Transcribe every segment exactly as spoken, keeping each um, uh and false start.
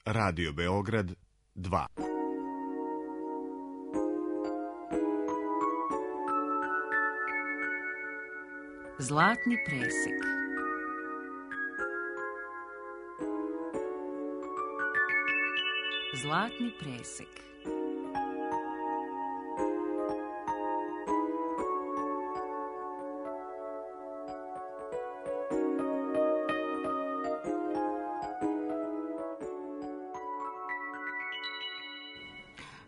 Radio Beograd dva. Zlatni presek. Zlatni presek.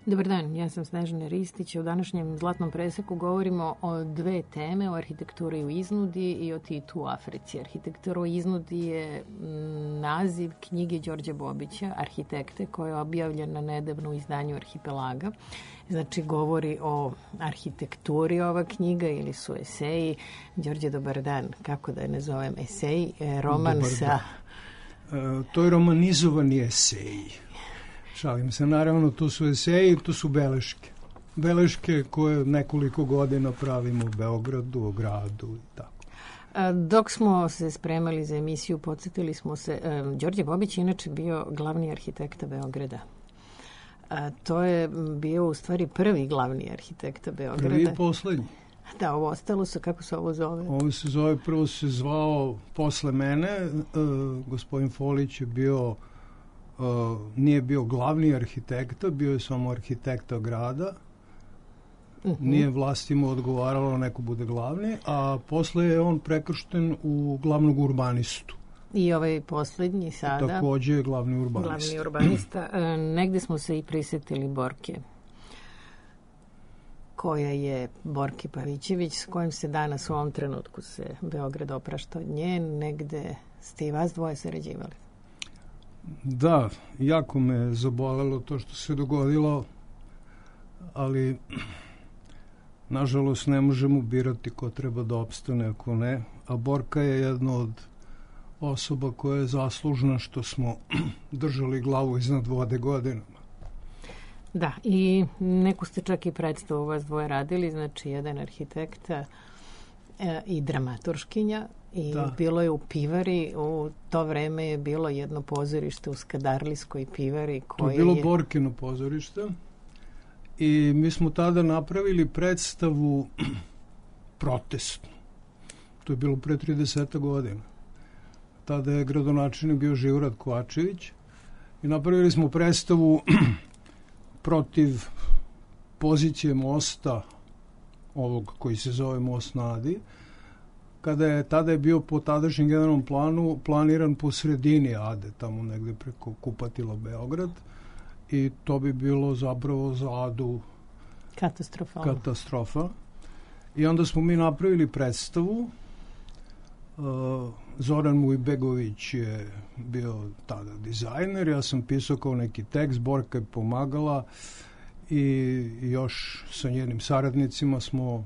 Dobar dan, ja sam Snežana Ristić. U današnjem Zlatnom preseku govorimo o dve teme, o arhitekturi u iznudi i o Titu u Africi. Arhitektura u iznudi je naziv knjige Đorđa Bobića, arhitekte, koja je objavljena nedavno u izdanju Arhipelaga. Znači, govori o arhitekturi ova knjiga ili su eseji. Đorđe, dobar dan. Kako da je nazovem? Esej, roman sa... E, to je romanizovani eseji. Šalim se, naravno, to su eseji, to su beleške. Beleške koje nekoliko godina pravimo u Beogradu, u gradu i tako. Dok smo se spremali za emisiju, podsjetili smo se, Đorđe Bobić je inače bio glavni arhitekta Beograda. A, to je bio u stvari prvi glavni arhitekta Beograda. Prvi i poslednji. Da, ovo ostalo se, kako se ovo zove? Ovo se zove, prvo se zvao posle mene, uh, gospodin Folić je bio... Uh, nije bio glavni arhitekta, bio je samo arhitekta grada. Uh-huh. Nije vlastima odgovaralo neko bude glavni, a posle je on prekršten u glavnog urbanistu. I ovaj poslednji sada... Takođe je glavni urbanista. Glavni urbanista. E, negde smo se i prisetili Borke, koja je Borke Pavićević, s kojim se danas u ovom trenutku se Beograd oprašta od nje. Negde ste i vas dvoje sarađivali. Da, jako me zabolelo to što se dogodilo, ali nažalost ne možemo birati ko treba da opstane, ako ne. A Borka je jedna od osoba koja je zaslužna što smo držali glavu iznad vode godinama. Da, i neku ste čak i predstavu vas dvoje radili, znači jedan arhitekta e, i dramaturškinja. I da. Bilo je u Pivari, u to vreme je bilo jedno pozorište u Skadarlijskoj pivari. Koje to je bilo je... Borkino pozorište i mi smo tada napravili predstavu protestnu. To je bilo pre trideset godina. Tada je gradonačelnik bio Živorad Kovačević i napravili smo predstavu protiv pozicije mosta, ovog koji se zove Most na Adi, kada je, tada je bio po tadašnjem generalnom planu planiran po sredini Ade, tamo negde preko Kupatila Beograd, i to bi bilo zapravo za Adu katastrofa. I onda smo mi napravili predstavu. Uh, Zoran Mujbegović je bio tada dizajner, ja sam pisao kao neki tekst, Borka je pomagala i još sa njenim saradnicima smo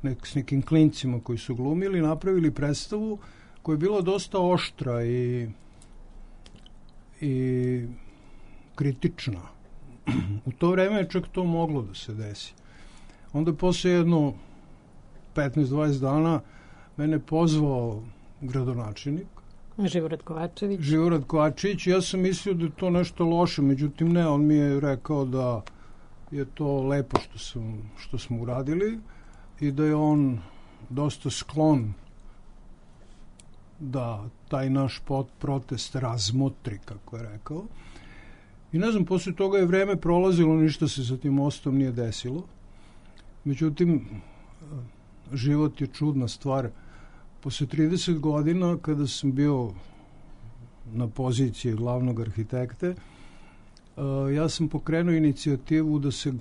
nek, s nekim klincima koji su glumili, napravili predstavu koja je bila dosta oštra i, i kritična. U to vreme je čak to moglo da se desi. Onda je posle jedno petnaest dvadeset dana mene pozvao gradonačelnik. Živorad Kovačević. Živorad Kovačević. Ja sam mislio da je to nešto loše, međutim ne, on mi je rekao da je to lepo što, sam, što smo uradili i da je on dosta sklon da taj naš pot, protest razmotri, kako je rekao. I ne znam, posle toga je vreme prolazilo, ništa se sa tim mostom nije desilo. Međutim, život je čudna stvar. Posle trideset godina, kada sam bio na poziciji glavnog arhitekte, ja sam pokrenuo inicijativu da se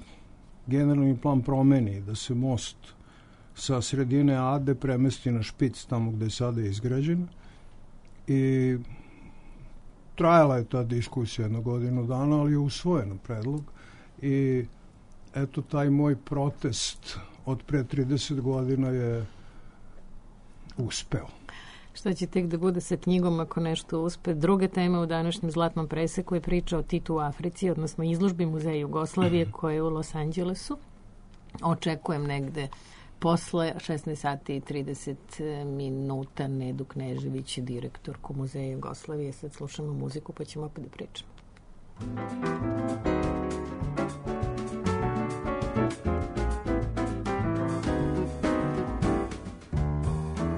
generalni plan promeni, da se most sa sredine Ade premesti na špic, tamo gde je sada izgrađen. I trajala je ta diskusija jedno godinu dana, ali je usvojen predlog. I eto, taj moj protest od pre trideset godina je uspeo. Šta će tek da bude sa knjigom ako nešto uspe? Druga tema u današnjem Zlatnom preseku je priča o Titu u Africi, odnosno izložbi Muzeja Jugoslavije koje je u Los Angelesu. Očekujem negde posle šesnaest sati i trideset minuta Nedu Knežević, direktorku Muzeja Jugoslavije. Sad slušamo muziku pa ćemo opet da pričamo.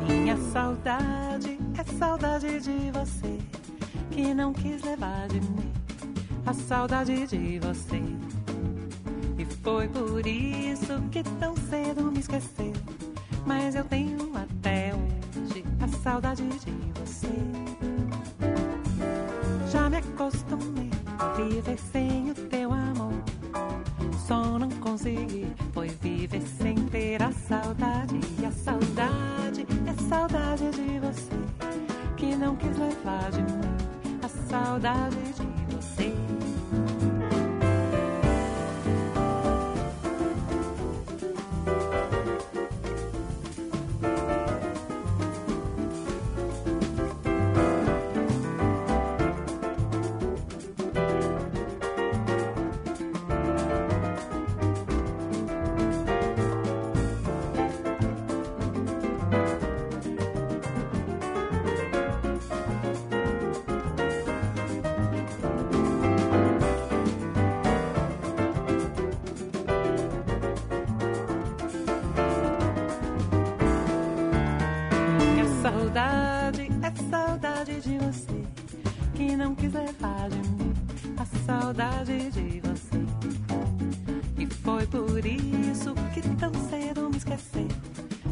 Minha saudade é saudade de você, que não quis levar de mim a saudade de você. E foi por isso que tão cedo me esqueceu, mas eu tenho até hoje a saudade de você. Já me acostumei a viver sem o teu amor, só não consegui foi viver sem ter a saudade. E a saudade é saudade de você, que não quis levar de mim a saudade de você. Saudade é saudade de você, que não quis levar de mim a saudade de você. E foi por isso que tão cedo me esqueceu,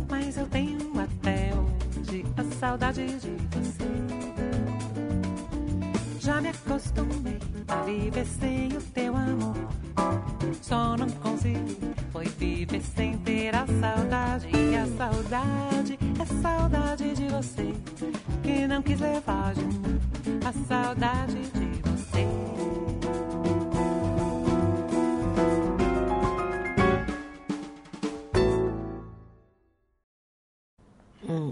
mas eu tenho até hoje a saudade de você. Já me acostumei a viver sem o teu amor, só não consegui foi viver sem ter a saudade. E a saudade é saudade de você, que não quis levar de mim a saudade de você.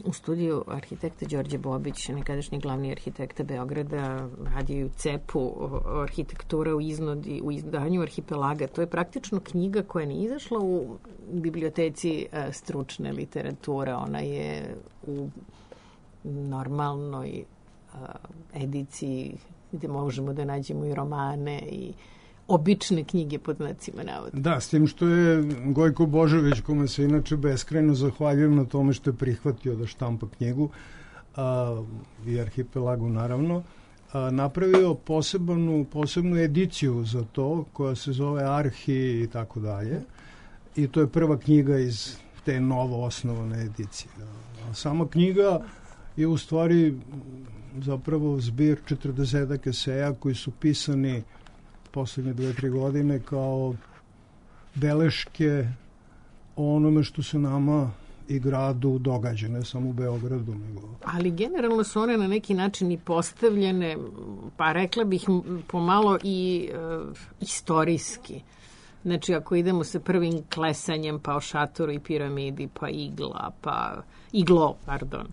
U studiju arhitekta Đorđe Bobić, nekadašnji glavni arhitekta Beograda, radio u cepu arhitektura u iznodi, u izdanju Arhipelaga. To je praktično knjiga koja nije izašla u biblioteci stručne literature. Ona je u normalnoj ediciji gde možemo da nađemo i romane i obične knjige pod znacima navoda. Da, s tim što je Gojko Božović, kome se inače beskrajno zahvaljujem na tome što je prihvatio da štampa knjigu, a, i Arhipelagu naravno, a, napravio posebnu, posebnu ediciju za to, koja se zove Arhi i tako dalje. I to je prva knjiga iz te novo osnovane edicije. A sama knjiga je u stvari zapravo zbir četrdesetak eseja koji su pisani poslednje dve, tri godine kao beleške o onome što se nama i gradu događa, ne samo u Beogradu. Nego... Ali generalno su one na neki način i postavljene, pa rekla bih pomalo i uh, istorijski. Znači, ako idemo sa prvim klesanjem, pa o šatoru i piramidi, pa igla, pa iglo, pardon,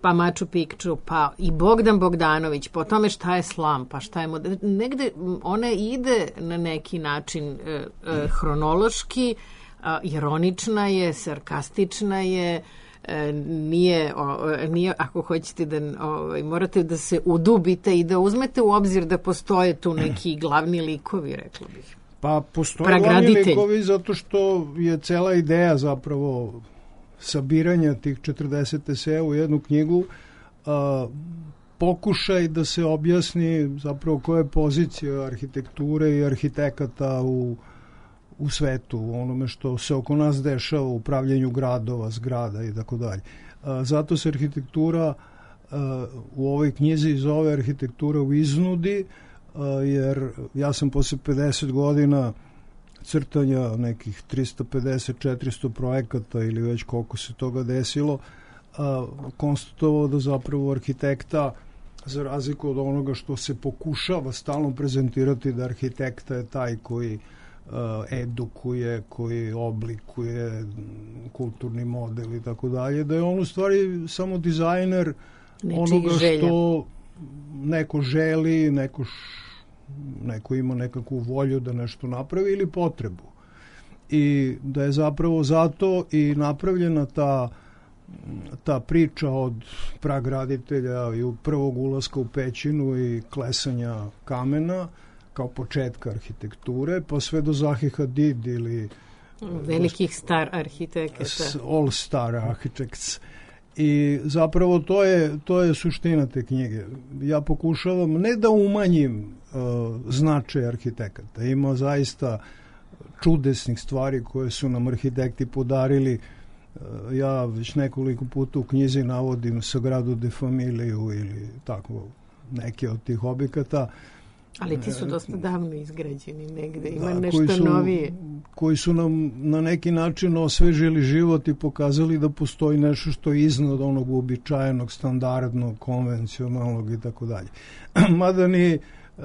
pa Machu Picchu, pa i Bogdan Bogdanović, po tome šta je slam, pa šta je model. Negde ona ide na neki način e, e, hronološki, a, ironična je, sarkastična je, e, nije, o, nije, ako hoćete da, o, morate da se udubite i da uzmete u obzir da postoje tu neki glavni likovi, rekla bih. Pa postoje glavni likovi zato što je cela ideja zapravo sabiranja tih četrdeset eseja u jednu knjigu, a, pokušaj da se objasni zapravo koja je pozicija arhitekture i arhitekata u, u svetu, u onome što se oko nas dešava u upravljanju gradova, zgrada i tako dalje. Zato se arhitektura a, u ovoj knjizi zove Arhitektura u iznudi, a, jer ja sam posle pedeset godina crtanja nekih tristo pedeset četiristo projekata ili već koliko se toga desilo, a, konstatovao da zapravo arhitekta, za razliku od onoga što se pokušava stalno prezentirati, da arhitekta je taj koji a, edukuje, koji oblikuje kulturni model i tako dalje, da je on u stvari samo dizajner nečijih onoga želja. Što neko želi, neko š, neko ima nekakvu volju da nešto napravi ili potrebu. I da je zapravo zato i napravljena ta, ta priča od pragraditelja i prvog ulaska u pećinu i klesanja kamena kao početka arhitekture, pa sve do Zahi Hadid ili velikih star arhitekata. All Star Architects. I zapravo to je, to je suština te knjige. Ja pokušavam ne da umanjim uh, značaj arhitekata. Ima zaista čudesnih stvari koje su nam arhitekti podarili. Uh, ja već nekoliko puta u knjizi navodim Sagradu de Familiju ili tako neke od tih objekata. Ali ti su dosta davno izgrađeni negde, ima da, nešto koji su, novije. Koji su nam na neki način osvežili život i pokazali da postoji nešto što je iznad onog uobičajenog, standardnog, konvencionalnog i tako dalje. Mada ni uh,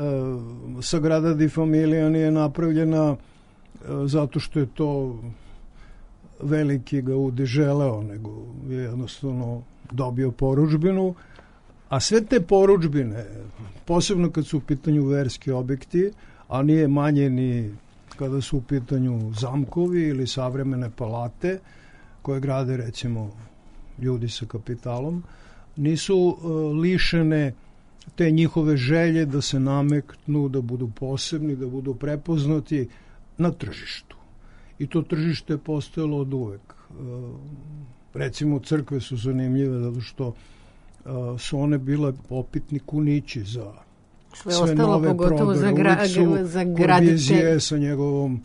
Sagrada de Familija nije napravljena uh, zato što je to veliki Gaudi želeo, nego je jednostavno dobio porudžbinu. A sve te porudžbine, posebno kad su u pitanju verski objekti, a nije manje ni kada su u pitanju zamkovi ili savremene palate, koje grade recimo ljudi sa kapitalom, nisu uh, lišene te njihove želje da se nameknu, da budu posebni, da budu prepoznati na tržištu. I to tržište je postojalo od uvek. Uh, recimo crkve su zanimljive zato što Uh, su one bile opitni kunići za sve, sve ostalo, nove pogotovo za, gra, za graditelje sa njegovom uh,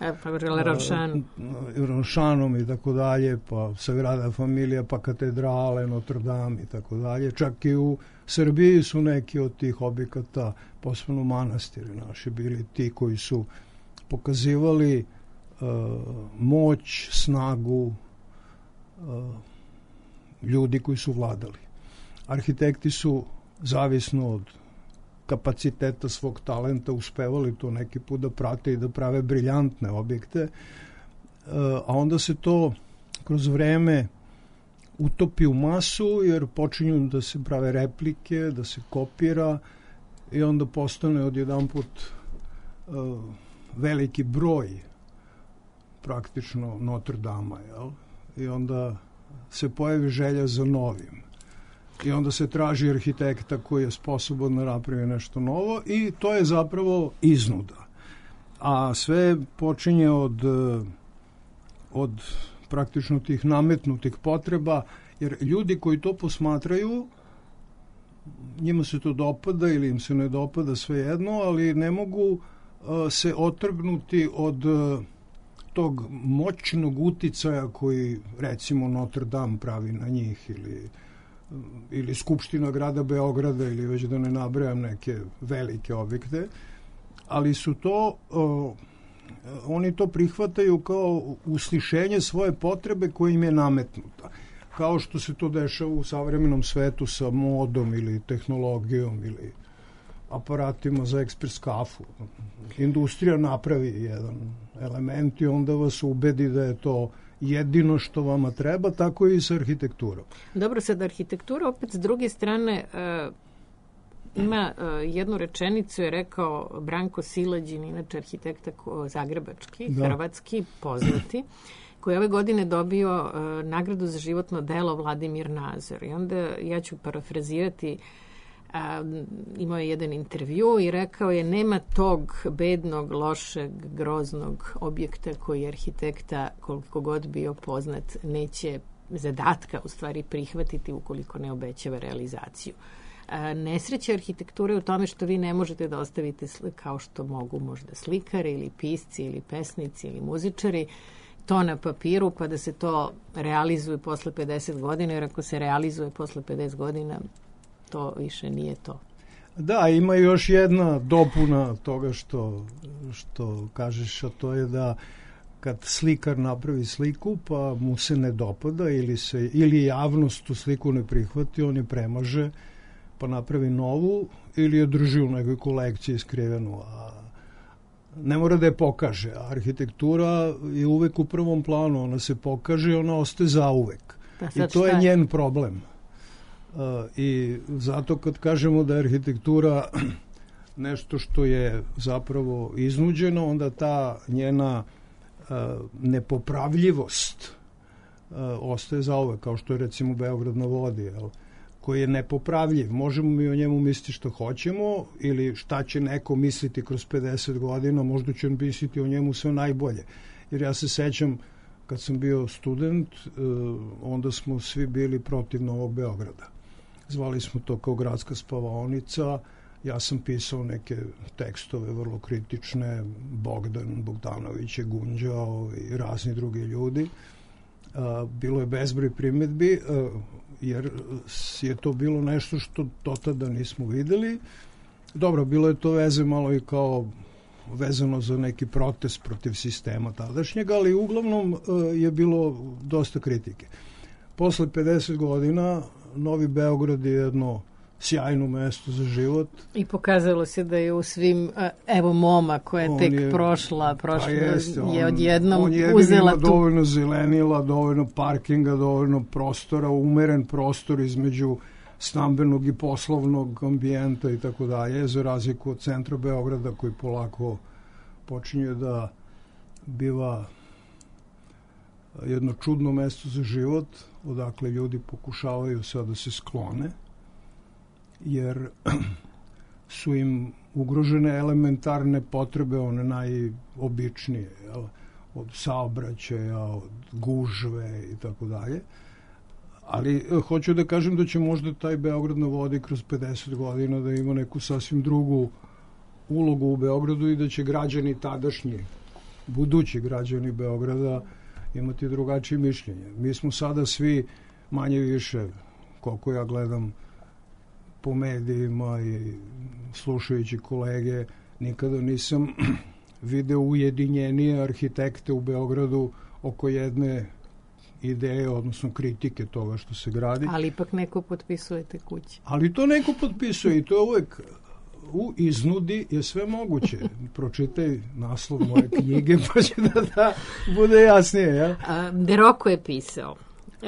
Ronšanom i tako dalje, pa Sagrada Familija, pa katedrale, Notre Dame i tako dalje. Čak i u Srbiji su neki od tih objekata, posebno manastiri naši, bili ti koji su pokazivali uh, moć, snagu uh, ljudi koji su vladali. Arhitekti su, zavisno od kapaciteta svog talenta, uspevali to neki put da prate i da prave briljantne objekte, a onda se to kroz vreme utopi u masu, jer počinju da se prave replike, da se kopira i onda postane odjedanput uh, veliki broj praktično Notre Dama, jel? I onda se pojavi želja za novim. I onda se traži arhitekta koji je sposoban da napravi nešto novo i to je zapravo iznuda. A sve počinje od, od praktično tih nametnutih potreba, jer ljudi koji to posmatraju, njima se to dopada ili im se ne dopada, svejedno, ali ne mogu uh, se otrgnuti od uh, tog moćnog uticaja koji recimo Notre Dame pravi na njih ili ili Skupština grada Beograda ili već da ne nabrajam neke velike objekte, ali su to o, oni to prihvataju kao uslišenje svoje potrebe koja im je nametnuta. Kao što se to dešava u savremenom svetu sa modom ili tehnologijom ili aparatima za ekspres kafu. Industrija napravi jedan element i onda vas ubedi da je to jedino što vama treba, tako i sa arhitekturom. Dobro, sad arhitektura opet s druge strane uh, ima uh, jednu rečenicu, je rekao Branko Silađin, inače arhitekta zagrebački, da. Hrvatski, poznati, koji ove godine dobio uh, nagradu za životno delo Vladimir Nazor. I onda ja ću parafrazirati, a, imao je jedan intervju i rekao je: nema tog bednog, lošeg, groznog objekta koji arhitekta, koliko god bio poznat, neće zadatka u stvari prihvatiti ukoliko ne obećava realizaciju. A, nesreća arhitekture u tome što vi ne možete da ostavite kao što mogu možda slikari ili pisci ili pesnici ili muzičari to na papiru pa da se to realizuje posle pedeset godina, jer ako se realizuje posle pedeset godina to više nije to. Da, ima još jedna dopuna toga što, što kažeš, a to je da kad slikar napravi sliku pa mu se ne dopada ili, se, ili javnost tu sliku ne prihvati, on je premaže pa napravi novu ili je drži u nekoj kolekciji skrivenu, a ne mora da je pokaže. Arhitektura je uvek u prvom planu, ona se pokaže i ona ostaje zauvek. I to je njen problem. Uh, i zato kad kažemo da je arhitektura nešto što je zapravo iznuđeno, onda ta njena uh, nepopravljivost uh, ostaje zauvek, kao što je recimo Beograd na vodi, jel? koji je nepopravljiv. Možemo mi o njemu misliti što hoćemo ili šta će neko misliti kroz pedeset godina, možda će on misliti o njemu sve najbolje. Jer ja se sećam kad sam bio student, onda smo svi bili protiv Novog Beograda. Zvali smo to kao gradska spavaonica. Ja sam pisao neke tekstove vrlo kritične, Bogdan Bogdanović je gunđao i razni drugi ljudi. Bilo je bezbroj primedbi, jer je to bilo nešto što do tada nismo videli. Dobro, bilo je to veze malo i kao vezano za neki protest protiv sistema tadašnjega, ali uglavnom je bilo dosta kritike. Posle pedeset godina Novi Beograd je jedno sjajno mesto za život. I pokazalo se da je u svim, evo Moma koja je tek je, prošla, prošla pa jeste, on, je odjednom on je uzela tu. Dovoljno zelenila, dovoljno parkinga, dovoljno prostora, umeren prostor između stambenog i poslovnog ambijenta i tako dalje, za razliku od centra Beograda koji polako počinje da biva jedno čudno mesto za život, odakle ljudi pokušavaju sad da se sklone, jer su im ugrožene elementarne potrebe, one najobičnije, jel? Od saobraćaja, od gužve i tako dalje. Ali hoću da kažem da će možda taj Beograd na vodi kroz pedeset godina da ima neku sasvim drugu ulogu u Beogradu i da će građani tadašnji, budući građani Beograda imati drugačije mišljenje. Mi smo sada svi manje više, koliko ja gledam po medijima i slušajući kolege, nikada nisam video ujedinjenije arhitekte u Beogradu oko jedne ideje, odnosno kritike toga što se gradi. Ali ipak neko potpisuje te kuće. Ali to neko potpisuje i to je uvek u iznudi je sve moguće. Pročitaj naslov moje knjige pa će da, da bude jasnije. Ja? A, De Rocco je pisao.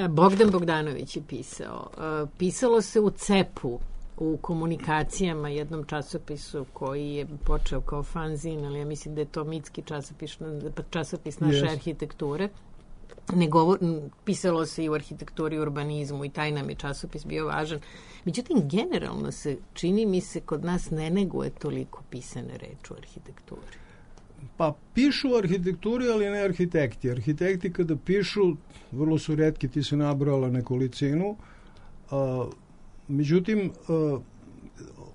Bogdan Bogdanović je pisao. A, pisalo se u cepu, u komunikacijama, jednom časopisu koji je počeo kao fanzin, ali ja mislim da je to mitski časopis, časopis naše yes. arhitekture. Ne govor, pisalo se i u arhitekturi i urbanizmu i taj nam je časopis bio važan. Međutim, generalno se, čini mi se, kod nas ne neguje toliko pisane reči u arhitekturi. Pa pišu u arhitekturi, ali ne arhitekti. Arhitekti kada pišu, vrlo su retki, ti se nabrala nekolicinu, a, međutim, a,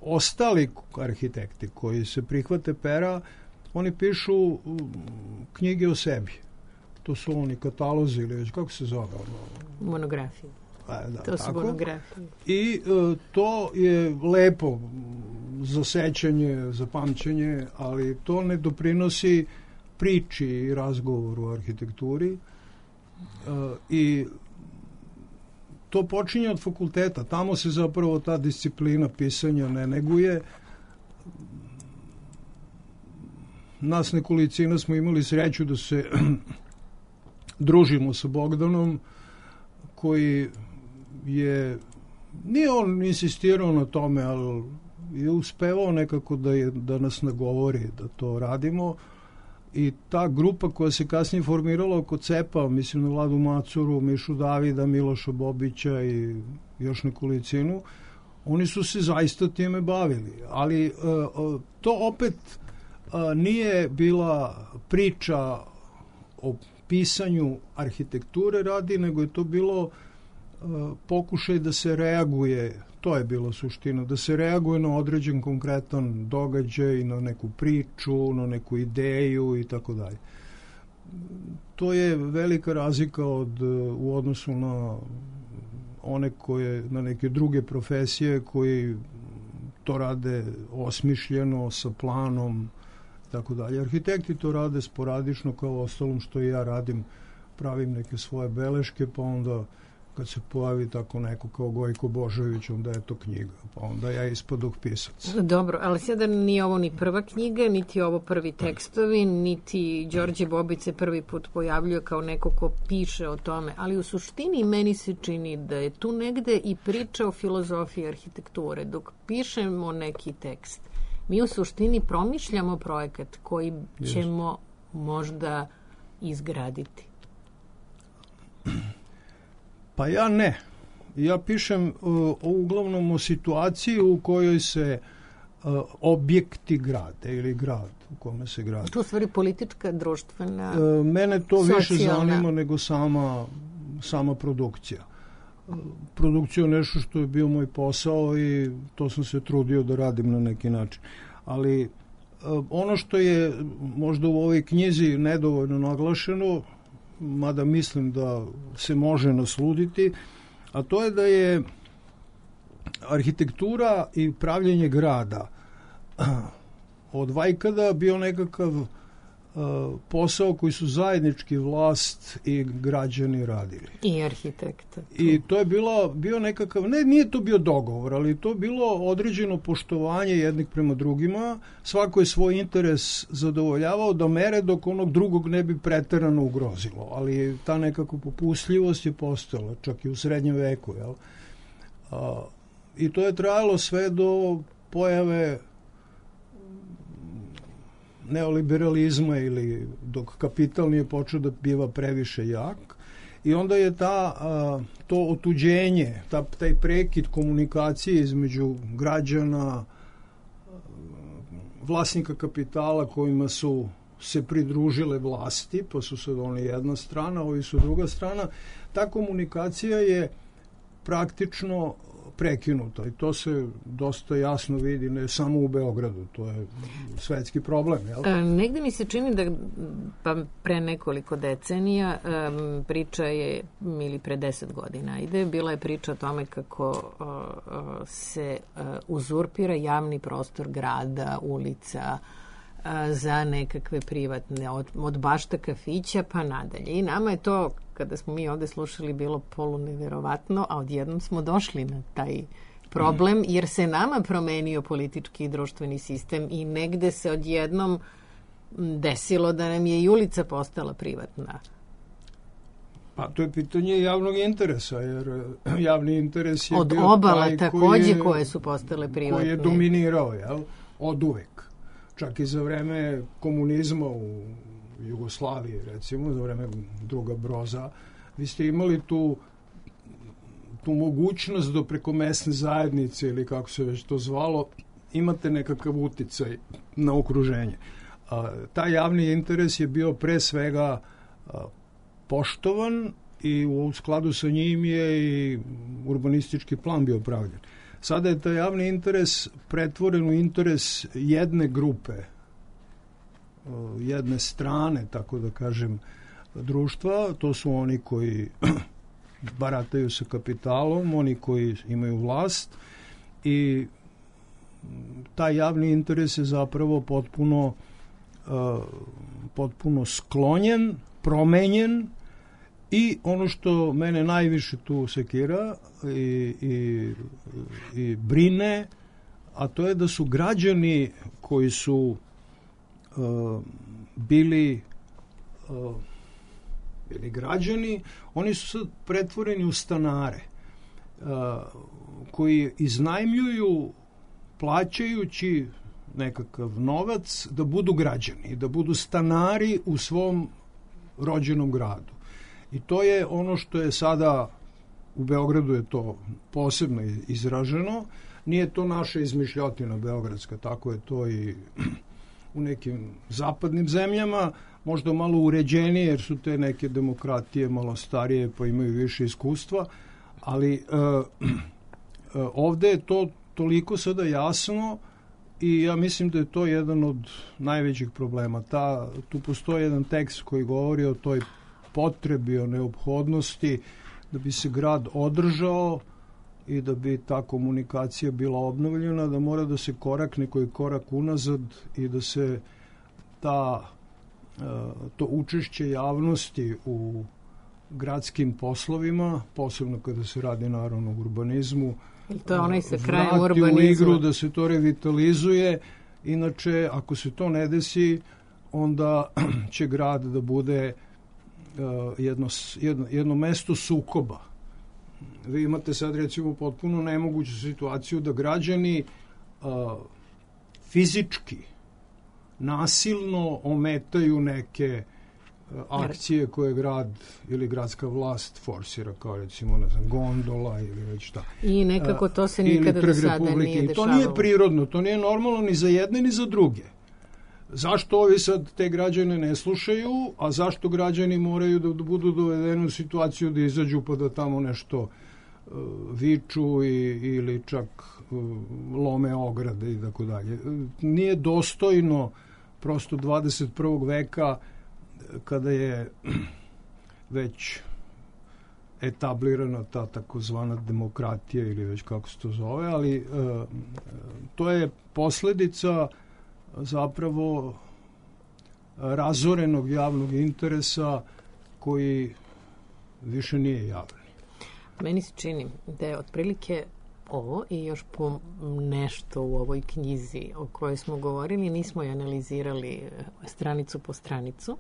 ostali arhitekti koji se prihvate pera, oni pišu knjige o sebi. To su oni katalozi ili već, kako se zove? Monografije. A, da, to su tako. monografije. I e, to je lepo za sećanje, za pamćenje, ali to ne doprinosi priči i razgovoru o arhitekturi. E, I to počinje od fakulteta. Tamo se zapravo ta disciplina pisanja ne neguje. Nas nekolicina smo imali sreću da se družimo sa Bogdanom, koji je, nije on insistirao na tome, ali je uspevao nekako da, je, da nas nagovori da to radimo. I ta grupa koja se kasnije formirala oko cepa, mislim na Vladu Macuru, Mišu Davida, Miloša Bobića i još nekolicinu, oni su se zaista time bavili. Ali uh, to opet uh, nije bila priča o pisanju arhitekture radi, nego je to bilo uh, pokušaj da se reaguje, to je bila suština, da se reaguje na određen konkretan događaj, na neku priču, na neku ideju i tako dalje. To je velika razlika od, u odnosu na one koje, na neke druge profesije koji to rade osmišljeno, sa planom, tako dalje. Arhitekti to rade sporadično, kao ostalom što i ja radim, pravim neke svoje beleške, pa onda kad se pojavi tako neko kao Gojko Božović, onda je to knjiga, pa onda ja ispadoh pisac. Dobro, ali sada nije ovo ni prva knjiga, niti ovo prvi tekstovi, niti Đorđe Bobice prvi put pojavljuje kao neko ko piše o tome, ali u suštini meni se čini da je tu negde i priča o filozofiji arhitekture. Dok pišemo neki tekst, mi u suštini promišljamo projekat koji ćemo možda izgraditi. Pa ja ne. Ja pišem uh, uglavnom o situaciji u kojoj se uh, objekti grade ili grad u kome se grade. To je u stvari politička, društvena, uh, Mene to socijalna. više zanima nego sama, sama produkcija. Uh, produkcija je nešto što je bio moj posao i to sam se trudio da radim na neki način. Ali uh, ono što je možda u ovoj knjizi nedovoljno naglašeno, mada mislim da se može nasluditi, a to je da je arhitektura i pravljenje grada od vajkada bio nekakav uh, posao koji su zajednički vlast i građani radili. I arhitekta. I to je bilo, bio nekakav, ne, nije to bio dogovor, ali to je bilo određeno poštovanje jednih prema drugima. Svako je svoj interes zadovoljavao do mere dok onog drugog ne bi preterano ugrozilo. Ali ta nekako popustljivost je postojala, čak i u srednjem veku. Jel? A, I to je trajalo sve do pojave neoliberalizma ili dok kapital nije počeo da biva previše jak. I onda je ta, a, to otuđenje, ta, taj prekid komunikacije između građana, vlasnika kapitala kojima su se pridružile vlasti, pa su sad oni jedna strana, ovi su druga strana, ta komunikacija je praktično prekinuta i to se dosta jasno vidi ne samo u Beogradu, to je svetski problem. Jel? E, negde mi se čini da pa pre nekoliko decenija um, priča je, ili pre deset godina ide, bila je priča o tome kako uh, uh, se uh, uzurpira javni prostor grada, ulica, uh, za nekakve privatne, od, od bašta kafića pa nadalje. I nama je to, kada smo mi ovde slušali, bilo poluneverovatno, a odjednom smo došli na taj problem, jer se nama promenio politički i društveni sistem i negde se odjednom desilo da nam je i ulica postala privatna. Pa to je pitanje javnog interesa, jer javni interes je od bio obala taj takođe koji je, koje su postale privatne. Koji je dominirao, jel? Od uvek. Čak i za vreme komunizma u Jugoslaviji, recimo, za vreme druga Broza, vi ste imali tu tu mogućnost da preko mesne zajednice ili kako se već to zvalo, imate nekakav uticaj na okruženje. A, taj javni interes je bio pre svega a, poštovan i u skladu sa njim je i urbanistički plan bio pravljen. Sada je taj javni interes pretvoren u interes jedne grupe, jedne strane, tako da kažem, društva. To su oni koji barataju sa kapitalom, oni koji imaju vlast i taj javni interes je zapravo potpuno uh, potpuno sklonjen, promenjen i ono što mene najviše tu sekira i, i, i brine, a to je da su građani koji su uh, bili uh, bili građani, oni su sad pretvoreni u stanare uh, koji iznajmljuju plaćajući nekakav novac da budu građani, da budu stanari u svom rođenom gradu. I to je ono što je sada u Beogradu je to posebno izraženo. Nije to naša izmišljotina beogradska, tako je to i u nekim zapadnim zemljama, možda malo uređenije jer su te neke demokratije malo starije pa imaju više iskustva, ali uh, uh, ovde je to toliko sada jasno i ja mislim da je to jedan od najvećih problema. Ta, tu postoji jedan tekst koji govori o toj potrebi, o neophodnosti da bi se grad održao i da bi ta komunikacija bila obnovljena, da mora da se korakne koji korak unazad i da se ta, to učešće javnosti u gradskim poslovima, posebno kada se radi naravno o urbanizmu, to je onaj sa krajem vrati urbanizma. u igru, da se to revitalizuje. Inače, ako se to ne desi, onda će grad da bude uh, jedno, jedno, jedno mesto sukoba. Vi imate sad recimo potpuno nemoguću situaciju da građani uh, fizički nasilno ometaju neke akcije koje grad ili gradska vlast forsira, kao recimo, ne znam, gondola ili već šta. I nekako to se nikada do sada nije dešavalo. To nije prirodno, to nije normalno ni za jedne ni za druge. Zašto ovi sad te građane ne slušaju, a zašto građani moraju da budu dovedeni u situaciju da izađu pa da tamo nešto uh, viču i, ili čak uh, lome ograde i tako dalje. Nije dostojno prosto dvadeset prvog veka kada je već etablirana ta takozvana demokratija ili već kako se to zove, ali uh, to je posledica zapravo razorenog javnog interesa koji više nije javni. Meni se čini da je otprilike ovo i još po nešto u ovoj knjizi o kojoj smo govorili, nismo je analizirali stranicu po stranicu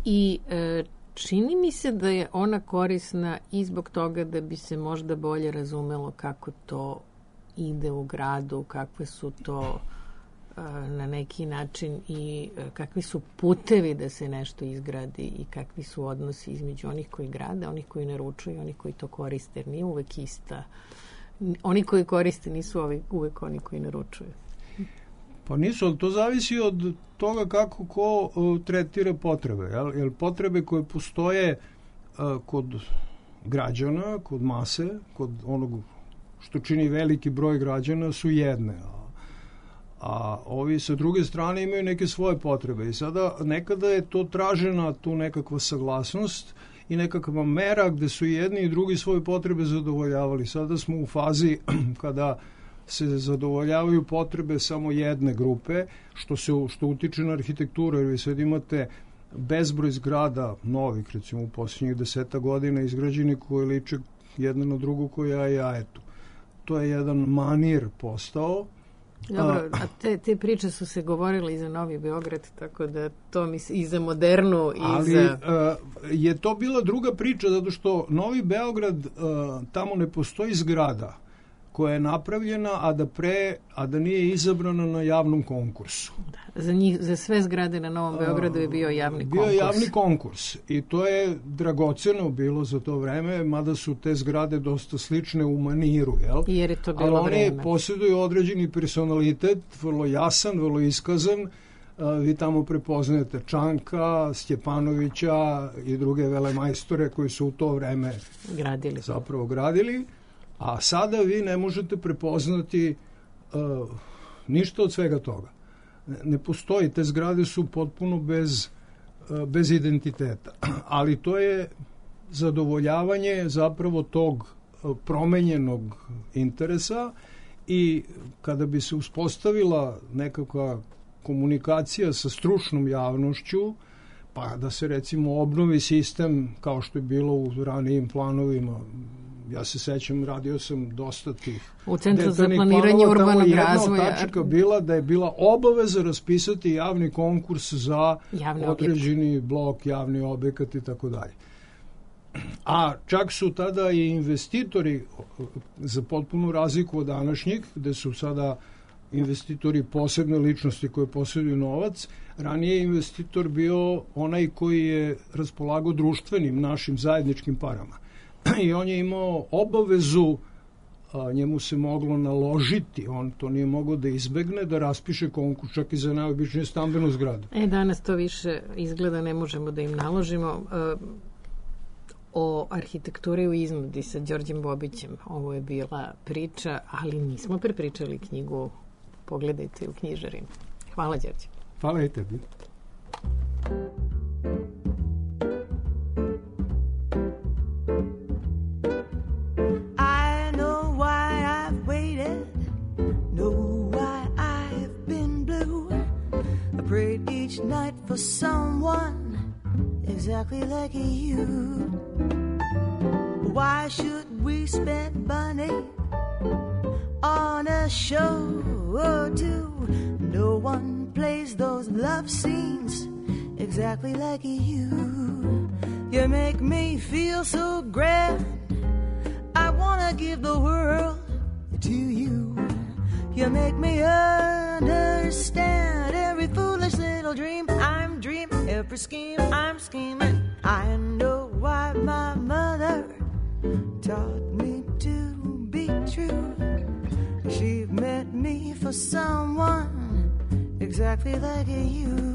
i e, čini mi se da je ona korisna i zbog toga da bi se možda bolje razumelo kako to ide u gradu, kakve su to na neki način i kakvi su putevi da se nešto izgradi i kakvi su odnosi između onih koji grade, onih koji naručuju i onih koji to koriste, jer nije uvek ista. Oni koji koriste nisu ovi, uvek oni koji naručuju. Pa nisu, ali to zavisi od toga kako ko uh, tretira potrebe. Jel? Jer potrebe koje postoje uh, kod građana, kod mase, kod onog što čini veliki broj građana su jedne, a ovi sa druge strane imaju neke svoje potrebe i sada nekada je to tražena tu nekakva saglasnost i nekakva mera gde su jedni i drugi svoje potrebe zadovoljavali. Sada smo u fazi kada se zadovoljavaju potrebe samo jedne grupe, što se što utiče na arhitekturu, jer vi sad imate bezbroj zgrada novih, recimo u posljednjih deseta godina izgrađeni koji liče jedna na drugu koja je jajetu. To je jedan manir postao. Dobro, a te, te priče su se govorile i za Novi Beograd, tako da to mi se i za modernu i ali, za... Ali je to bila druga priča, zato što Novi Beograd, uh, tamo ne postoji zgrada koja je napravljena, a da pre, a da nije izabrana na javnom konkursu. Da, za, njih, za sve zgrade na Novom Beogradu je bio javni bio konkurs. Bio je javni konkurs i to je dragoceno bilo za to vreme, mada su te zgrade dosta slične u maniru, jel? Jer je to bilo ali vreme. Ali oni posjeduju određeni personalitet, vrlo jasan, vrlo iskazan. Uh, vi tamo prepoznajete Čanka, Stjepanovića i druge velemajstore koji su u to vreme gradili. zapravo gradili. A sada vi ne možete prepoznati uh, ništa od svega toga. Ne, ne postoji, te zgrade su potpuno bez, uh, bez identiteta. Ali to je zadovoljavanje zapravo tog uh, promenjenog interesa i kada bi se uspostavila nekakva komunikacija sa stručnom javnošću, pa da se recimo obnovi sistem kao što je bilo u ranijim planovima. Ja se sećam, radio sam dosta tih u Centru za planiranje urbanog razvoja. Jedna tačka bila da je bila obaveza raspisati javni konkurs za javni određeni objekt. blok, javni objekat i tako dalje. A čak su tada i investitori, za potpunu razliku od današnjih, gde su sada investitori posebne ličnosti koje posjeduju novac, ranije je investitor bio onaj koji je raspolagao društvenim našim zajedničkim parama. I on je imao obavezu, a, njemu se moglo naložiti, on to nije mogao da izbegne, da raspiše konkurs čak i za najobičniju stambenu zgradu. E, danas to više izgleda ne možemo da im naložimo. E, o arhitekturi u iznudi sa Đorđem Bobićem, ovo je bila priča, ali nismo prepričali knjigu, pogledajte u knjižarinu. Hvala, Đorđe. Hvala i tebi. Prayed each night for someone exactly like you. Why should we spend money on a show or two? No one plays those love scenes exactly like you. You make me feel so grand, I wanna give the world to you. You make me understand every foolish little dream I'm dreaming every every scheme I'm scheming. I know why my mother taught me to be true. She meant me for someone exactly like you.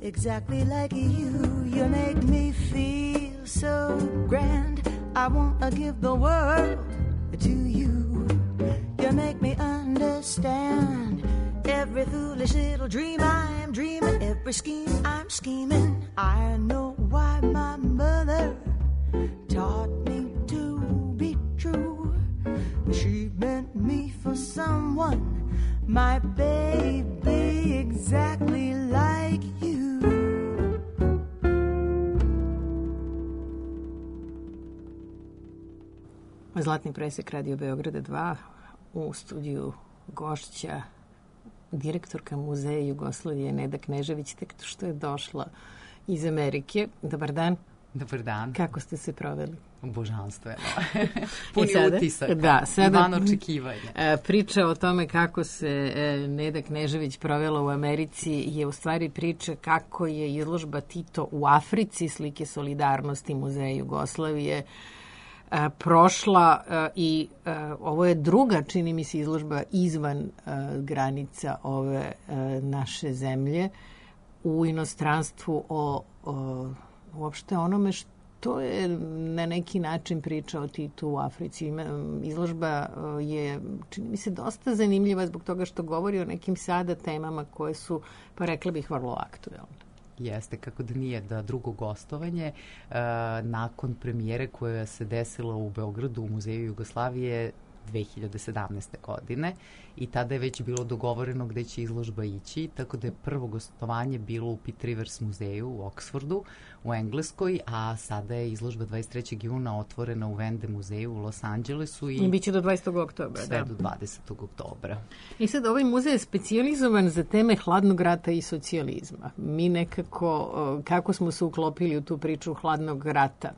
Exactly like you, you make me feel so grand. I wanna give the world to you. You make me understand every foolish little dream I'm dreaming, every scheme I'm scheming. I know why my mother taught me to be true. She meant me for someone, my baby, exactly like you. Zlatni presek Radio Beograda dva, u studiju gošća direktorka Muzeja Jugoslavije Neda Knežević, tek što je došla iz Amerike. Dobar dan. Dobar dan. Kako ste se proveli? Božanstveno. Puni sada, utisak. Da, sada i van očekivanja. Priča o tome kako se Neda Knežević provela u Americi je u stvari priča kako je izložba Tito u Africi, slike solidarnosti Muzeja Jugoslavije, prošla i ovo je druga, čini mi se, izložba izvan granica ove naše zemlje u inostranstvu o, o uopšte onome što je na neki način priča o Titu u Africi. Izložba je, čini mi se, dosta zanimljiva zbog toga što govori o nekim sada temama koje su, pa rekla bih, vrlo aktuelne. Jeste, kako da nije, da drugo gostovanje uh, nakon premijere koja se desila u Beogradu u Muzeju Jugoslavije dve hiljade sedamnaeste. godine i tada je već bilo dogovoreno gde će izložba ići, tako da je prvo gostovanje bilo u Pitt Rivers muzeju u Oksfordu u Engleskoj, a sada je izložba dvadeset trećeg juna otvorena u Vende muzeju u Los Angelesu. I, I biće do dvadesetog oktobra. Sve da. do dvadesetog oktobra. I sad ovaj muzej je specijalizovan za teme hladnog rata i socijalizma. Mi nekako, kako smo se uklopili u tu priču hladnog rata?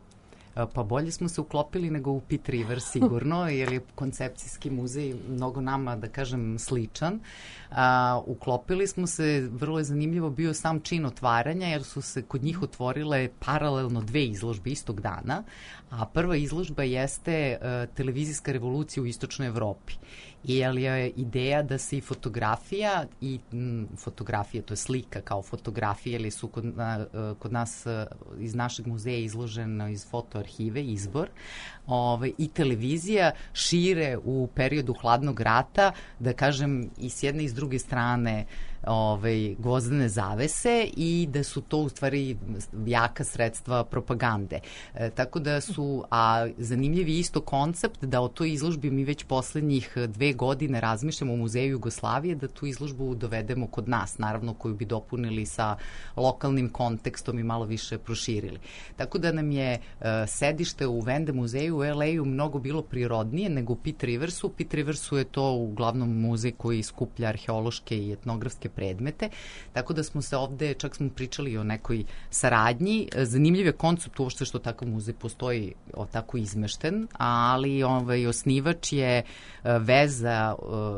Pa bolje smo se uklopili nego u Pitt Rivers sigurno, jer je koncepcijski muzej mnogo nama, da kažem, sličan. A, uklopili smo se, vrlo je zanimljivo bio sam čin otvaranja, jer su se kod njih otvorile paralelno dve izložbe istog dana, a prva izložba jeste uh, televizijska revolucija u istočnoj Evropi. I je ideja da se i fotografija i m, fotografija, to je slika kao fotografija, ili su kod, na, kod nas iz našeg muzeja izloženo iz fotoarhive, izbor, ove, i televizija šire u periodu hladnog rata, da kažem, i s jedne i s druge strane ove, gvozdene zavese, i da su to u stvari jaka sredstva propagande. E, tako da su, a zanimljiv je isto koncept da o toj izložbi mi već poslednjih dve godine razmišljamo u Muzeju Jugoslavije, da tu izložbu dovedemo kod nas, naravno koju bi dopunili sa lokalnim kontekstom i malo više proširili. Tako da nam je uh, sedište u Vende muzeju u el ej-u mnogo bilo prirodnije nego u Pitt Riversu. U Pitt Riversu je to uglavnom muzej koji skuplja arheološke i etnografske predmete, tako da smo se ovde, čak smo pričali o nekoj saradnji. Zanimljiv je koncept uopšte što takav muzej postoji o, tako izmešten, ali ovaj, osnivač je veza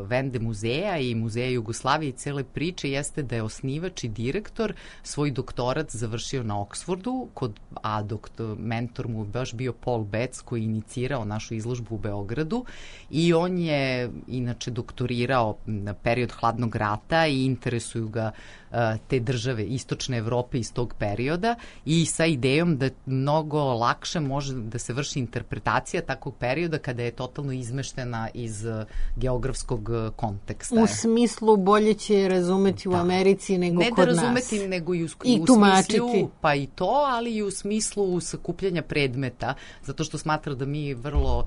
Vende muzeja i Muzeja Jugoslavije i cele priče jeste da je osnivač i direktor svoj doktorat završio na Oksfordu, kod, a doktor, mentor mu baš bio Paul Betts koji je inicirao našu izložbu u Beogradu i on je inače doktorirao na period hladnog rata i interesuju ga uh, te države istočne Evrope iz tog perioda i sa idejom da mnogo lakše može da se vrši interpretacija takvog perioda kada je totalno izmeštena iz uh, geografskog uh, konteksta. U smislu bolje će razumeti u Americi nego ne kod da nas. razumeti, nego i u, I u tumačiti. smislu, pa i to, ali i u smislu sakupljanja predmeta, zato što smatra da mi vrlo uh,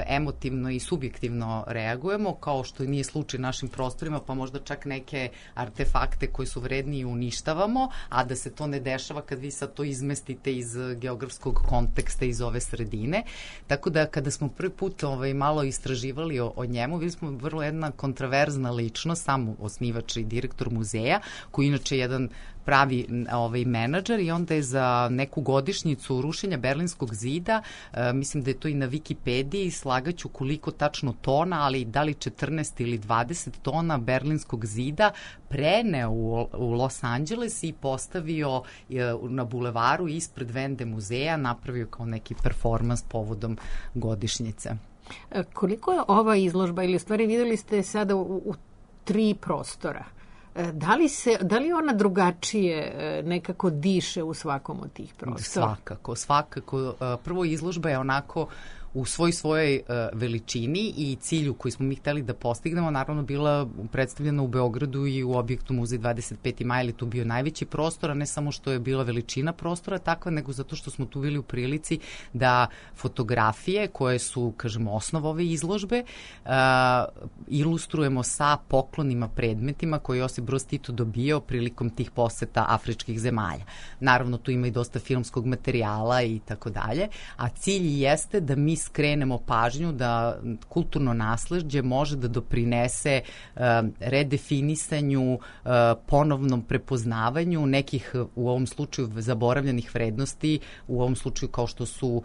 emotivno i subjektivno reagujemo, kao što nije slučaj našim prostorima, pa možda čak neke artefakte koji su vredniji uništavamo, a da se to ne dešava kad vi sad to izmestite iz geografskog konteksta, iz ove sredine. Tako da kada smo prvi put ovaj, malo istraživali o, o njemu, videli smo vrlo jedna kontraverzna ličnost, sam osnivač i direktor muzeja, koji inače je jedan pravi ovaj, menadžer i onda je za neku godišnjicu rušenja Berlinskog zida, e, mislim da je to i na Wikipediji, slagaću koliko tačno tona, ali da li četrnaest ili dvadeset tona Berlinskog zida preneo u, u Los Angeles i postavio e, na bulevaru ispred Vende muzeja, napravio kao neki performans povodom godišnjice. E, koliko je ova izložba, ili u stvari videli ste sada u, u tri prostora, Da li, se, da li ona drugačije nekako diše u svakom od tih prostora? Svakako, svakako. Prvo izložba je onako u svoj svojoj uh, veličini i cilju koji smo mi hteli da postignemo, naravno bila predstavljena u Beogradu i u objektu Muzej dvadeset peti maj, ali tu bio najveći prostor, a ne samo što je bila veličina prostora takva, nego zato što smo tu bili u prilici da fotografije koje su, kažemo, osnov ove izložbe uh, ilustrujemo sa poklonima, predmetima koje je Josip Broz Tito dobio prilikom tih poseta afričkih zemalja. Naravno, tu ima i dosta filmskog materijala i tako dalje, a cilj jeste da mi skrenemo pažnju da kulturno nasleđe može da doprinese uh, redefinisanju, uh, ponovnom prepoznavanju nekih u ovom slučaju zaboravljenih vrednosti, u ovom slučaju kao što su uh,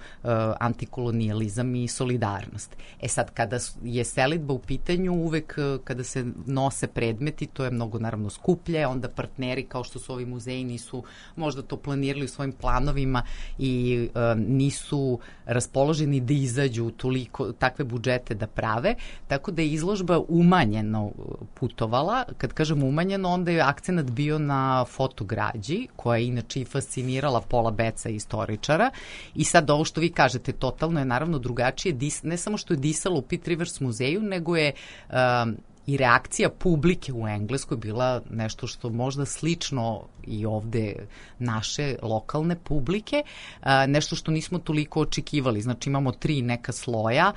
antikolonijalizam i solidarnost. E sad, kada je selidba u pitanju, uvek uh, kada se nose predmeti, to je mnogo naravno skuplje, onda partneri kao što su ovi muzeji nisu možda to planirali u svojim planovima i uh, nisu raspoloženi da izađu toliko, takve budžete da prave, tako da je izložba umanjeno putovala. Kad kažemo umanjeno, onda je akcenat bio na fotograđi, koja je inače i fascinirala Paula Bettsa, istoričara, i sad ovo što vi kažete, totalno je naravno drugačije, ne samo što je disalo u Pitt Rivers muzeju, nego je um, i reakcija publike u Engleskoj bila nešto što možda slično i ovde naše lokalne publike, nešto što nismo toliko očekivali. Znači imamo tri neka sloja,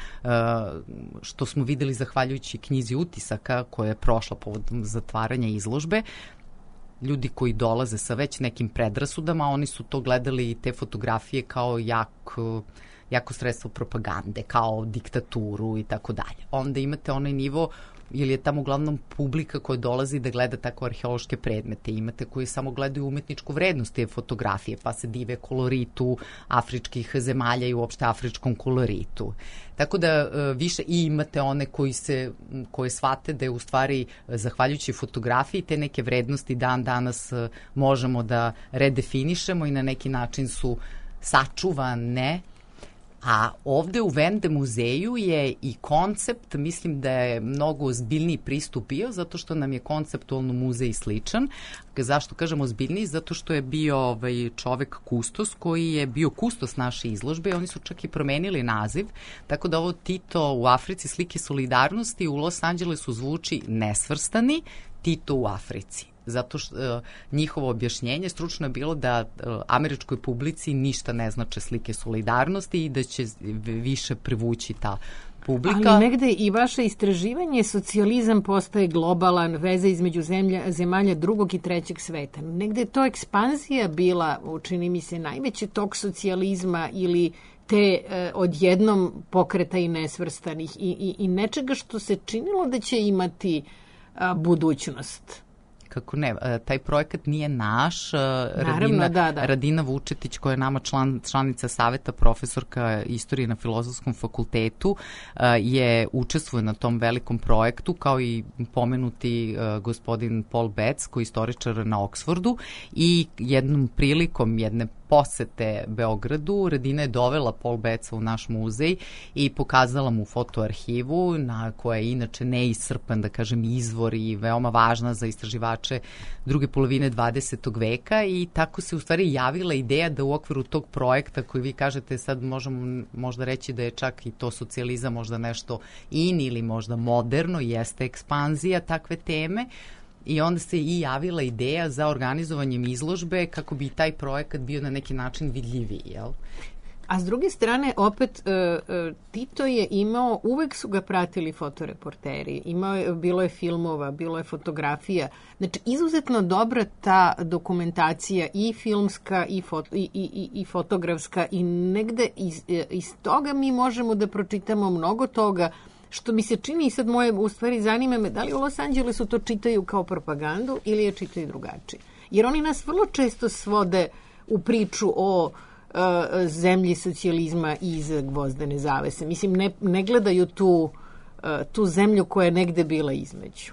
što smo videli zahvaljujući knjizi utisaka koja je prošla povodom zatvaranja izložbe. Ljudi koji dolaze sa već nekim predrasudama, oni su to gledali, te fotografije, kao jako jako sredstvo propagande, kao diktaturu i tako dalje. Onda imate onaj nivo, ili je tamo uglavnom publika koja dolazi da gleda tako arheološke predmete. Imate koji samo gledaju umetničku vrednost te fotografije, pa se dive koloritu afričkih zemalja i uopšte afričkom koloritu. Tako da više, i imate one koji se, koje shvate da je u stvari zahvaljujući fotografiji te neke vrednosti dan danas možemo da redefinišemo i na neki način su sačuvane. A ovde u Vende muzeju je i koncept, mislim da je mnogo ozbiljniji pristup bio, zato što nam je konceptualno muzej sličan. Zašto kažem ozbiljniji? Zato što je bio ovaj čovek kustos koji je bio kustos naše izložbe i oni su čak i promenili naziv, tako da ovo Tito u Africi, slike solidarnosti, u Los Angelesu zvuči nesvrstani, Tito u Africi. Zato što uh, njihovo objašnjenje stručno je bilo da uh, američkoj publici ništa ne znače slike solidarnosti i da će više privući ta publika. Ali negde i vaše istraživanje, socijalizam postaje globalan, veza između zemlja, zemalja drugog i trećeg sveta. Negde je to ekspanzija bila, učini mi se, najveći tok socijalizma ili te eh, odjednom pokreta i nesvrstanih i, i, i nečega što se činilo da će imati a, budućnost. Kako ne, taj projekat nije naš. Naravno, Radina, da, da. Radina Vučetić, koja je nama član, članica saveta, profesorka istorije na Filozofskom fakultetu, je učestvuje na tom velikom projektu, kao i pomenuti gospodin Paul Betts, koji je istoričar na Oksfordu, i jednom prilikom jedne posete Beogradu, Radina je dovela Paul Bettsa u naš muzej i pokazala mu fotoarhivu, na koja je inače neiscrpan, da kažem, izvor i veoma važna za istraživače druge polovine dvadesetog veka, i tako se u stvari javila ideja da u okviru tog projekta, koji vi kažete, sad možemo možda reći da je čak i to socijalizam možda nešto in ili možda moderno, jeste ekspanzija takve teme. I onda se i javila ideja za organizovanjem izložbe kako bi taj projekat bio na neki način vidljiviji, jel? A s druge strane, opet, Tito je imao, uvek su ga pratili fotoreporteri, imao je, bilo je filmova, bilo je fotografija. Znači, izuzetno dobra ta dokumentacija, i filmska, i, foto, i, i, i fotografska, i negde iz, iz toga mi možemo da pročitamo mnogo toga, što mi se čini, i sad moje, u stvari zanima me, da li u Los Angelesu to čitaju kao propagandu ili je čitaju drugačije. Jer oni nas vrlo često svode u priču o uh, zemlji socijalizma iz gvozdene zavese. Mislim, ne, ne gledaju tu, uh, tu zemlju koja je negde bila između.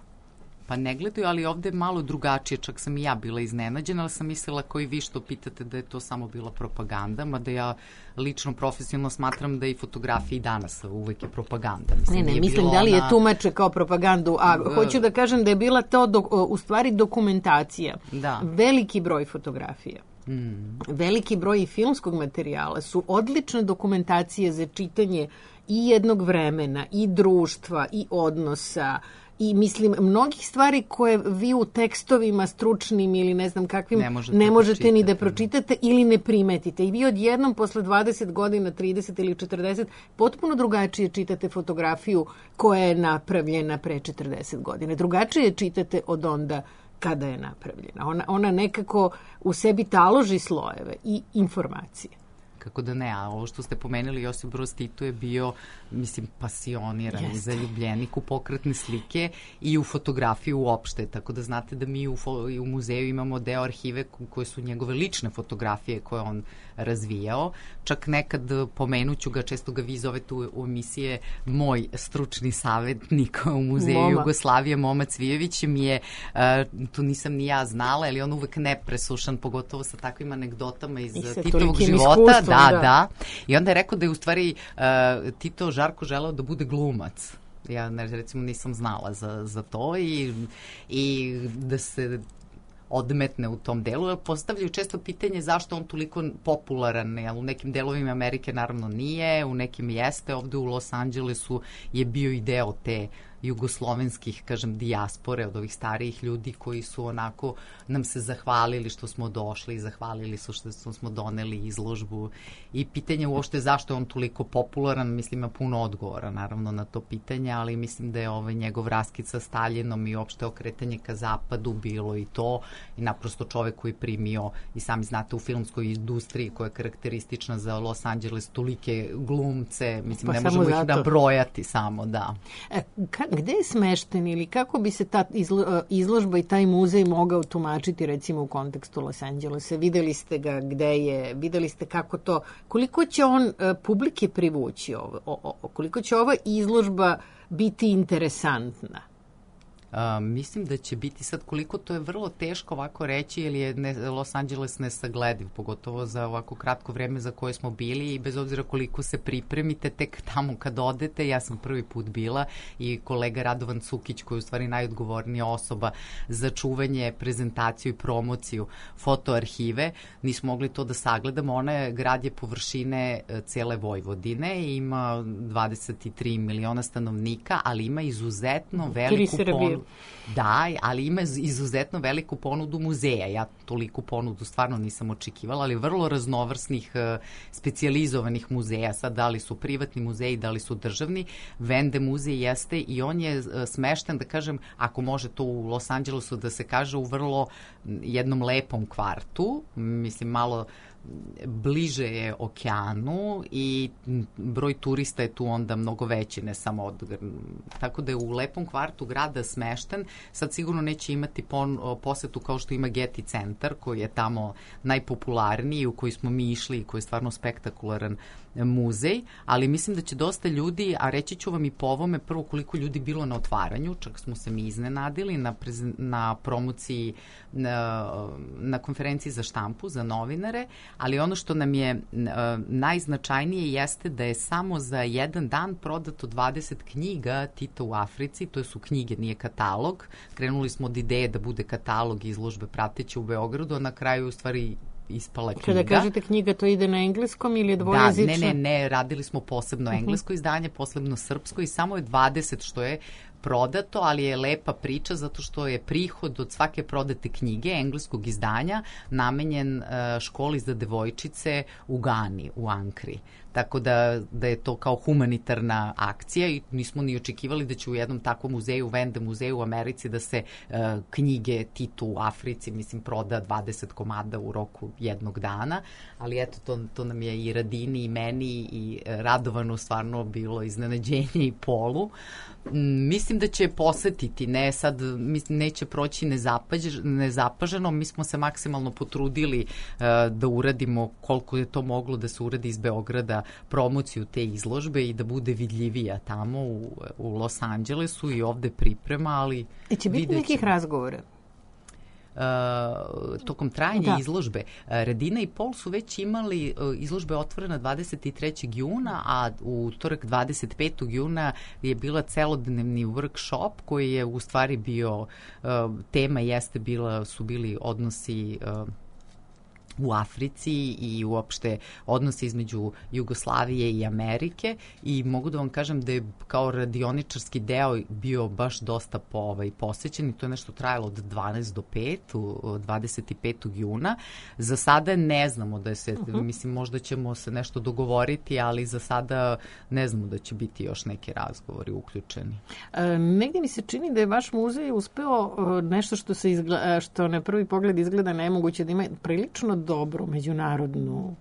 Pa ne gledaju, ali ovde je malo drugačije, čak sam i ja bila iznenađena, ali sam mislila, koji vi što pitate, da je to samo bila propaganda, mada ja lično profesionalno smatram da i fotografija i danas uvek je propaganda. Mislim, ne, ne, mislim da li je ona... tumače kao propagandu, a uh, hoću da kažem da je bila to do, u stvari dokumentacija. Da. Veliki broj fotografija. Mm. Veliki broj i filmskog materijala su odlične dokumentacije za čitanje i jednog vremena, i društva, i odnosa, i mislim, mnogih stvari koje vi u tekstovima stručnim ili ne znam kakvim ne možete, ne možete ni da pročitate ili ne primetite. I vi odjednom posle dvadeset godina, trideset ili četrdeset, potpuno drugačije čitate fotografiju koja je napravljena pre četrdeset godina. Drugačije čitate od onda kada je napravljena. Ona, ona nekako u sebi taloži slojeve i informacije. Kako da ne, a ovo što ste pomenuli, Josip Broz Tito je bio, mislim, pasioniran i zaljubljenik u pokretne slike i u fotografiju uopšte, tako da znate da mi u, i u muzeju imamo deo arhive koje su njegove lične fotografije koje on razvijao. Čak nekad pomenuću ga, često ga vi zovete u, u emisije, moj stručni savjetnik u muzeju Moma. Jugoslavije, Moma Cvijević, mi je, uh, to nisam ni ja znala, ali on uvek nepresušan, pogotovo sa takvim anegdotama iz Titovog života. Da, da, da. I onda je rekao da je u stvari uh, Tito Žarko želeo da bude glumac. Ja recimo nisam znala za, za to i, i da se odmetne u tom delu. Postavljaju često pitanje zašto on toliko popularan, jer u nekim delovima Amerike naravno nije, u nekim jeste, ovde u Los Angelesu je bio i deo te jugoslovenskih, kažem, dijaspore od ovih starijih ljudi koji su onako nam se zahvalili što smo došli i zahvalili su što smo doneli izložbu. I pitanje uopšte zašto je on toliko popularan, mislim, ima puno odgovora naravno na to pitanje, ali mislim da je ovaj njegov raskid sa Staljinom i uopšte okretanje ka zapadu bilo i to, i naprosto čovek koji je primio, i sami znate, u filmskoj industriji koja je karakteristična za Los Angeles, tolike glumce, mislim, pa ne možemo zato ih nabrojati samo, da. E, ka, gde je smešten ili kako bi se ta izlo, izložba i taj muzej mogao tumačiti recimo u kontekstu Los Angelesa? Videli ste ga gde je, videli ste kako to, koliko će on publike privući, ovo, o, o, koliko će ova izložba biti interesantna? Uh, mislim da će biti sad, koliko to je vrlo teško ovako reći, jer je ne, Los Angeles nesaglediv, pogotovo za ovako kratko vreme za koje smo bili, i bez obzira koliko se pripremite, tek tamo kad odete, ja sam prvi put bila i kolega Radovan Cukić, koji je u stvari najodgovornija osoba za čuvanje, prezentaciju i promociju fotoarhive, nismo mogli to da sagledamo. Ona je, grad je površine cele Vojvodine i ima dvadeset tri miliona stanovnika, ali ima izuzetno veliku ponudu. Da, ali ima izuzetno veliku ponudu muzeja. Ja toliku ponudu stvarno nisam očekivala, ali vrlo raznovrsnih specijalizovanih muzeja. Sad, da li su privatni muzeji, da li su državni. Vende muzej jeste i on je smešten, da kažem, ako može to u Los Angelesu da se kaže, u vrlo jednom lepom kvartu. Mislim, malo bliže je okeanu i broj turista je tu onda mnogo veći, ne samo od... Tako da je u lepom kvartu grada smešten. Sad sigurno neće imati pon, posetu kao što ima Getty centar, koji je tamo najpopularniji, u koji smo mi išli i koji je stvarno spektakularan muzej, ali mislim da će dosta ljudi, a reći ću vam i po ovome, prvo koliko ljudi bilo na otvaranju, čak smo se mi iznenadili na, prezen, na promociji, na, na konferenciji za štampu, za novinare, ali ono što nam je najznačajnije jeste da je samo za jedan dan prodato dvadeset knjiga Tita u Africi, to su knjige, nije katalog. Krenuli smo od ideje da bude katalog izložbe prateće u Beogradu, a na kraju u stvari ispala knjiga. Kada kažete knjiga, to ide na engleskom ili je dvojezično? Da, ne, ne, ne, radili smo posebno englesko izdanje, posebno srpsko i samo je dvadeset što je prodato, ali je lepa priča zato što je prihod od svake prodate knjige engleskog izdanja namenjen školi za devojčice u Gani, u Ankri. Tako da, da je to kao humanitarna akcija i nismo ni očekivali da će u jednom takvom muzeju, Vende muzeju u Americi, da se uh, knjige Titu u Africi, mislim, proda dvadeset komada u roku jednog dana, ali eto, to, to nam je i Radini i meni i Radovanu stvarno bilo iznenađenje i Polu. Mm, mislim da će posetiti, ne sad, mislim, neće proći nezapaž, nezapaženo, mi smo se maksimalno potrudili uh, da uradimo koliko je to moglo da se uradi iz Beograda promociju te izložbe i da bude vidljivija tamo u, u Los Angelesu i ovde priprema, ali... E će biti nekih razgovora? Uh, tokom trajanja da. izložbe. Uh, Radina i Pol su već imali uh, izložbe otvorena dvadeset trećeg juna, a u utorak dvadeset petog juna je bila celodnevni workshop koji je u stvari bio, uh, tema jeste bila, su bili odnosi uh, u Africi i uopšte odnose između Jugoslavije i Amerike i mogu da vam kažem da je kao radioničarski deo bio baš dosta po, ovaj, posećen i to je nešto trajalo od dvanaest do pet, u dvadeset petog juna. Za sada ne znamo da se, uh-huh. mislim, možda ćemo se nešto dogovoriti, ali za sada ne znamo da će biti još neki razgovori uključeni. E, negdje mi se čini da je vaš muzej uspeo nešto što, se izgleda, što na prvi pogled izgleda nemoguće, da ima prilično dobru međunarodnu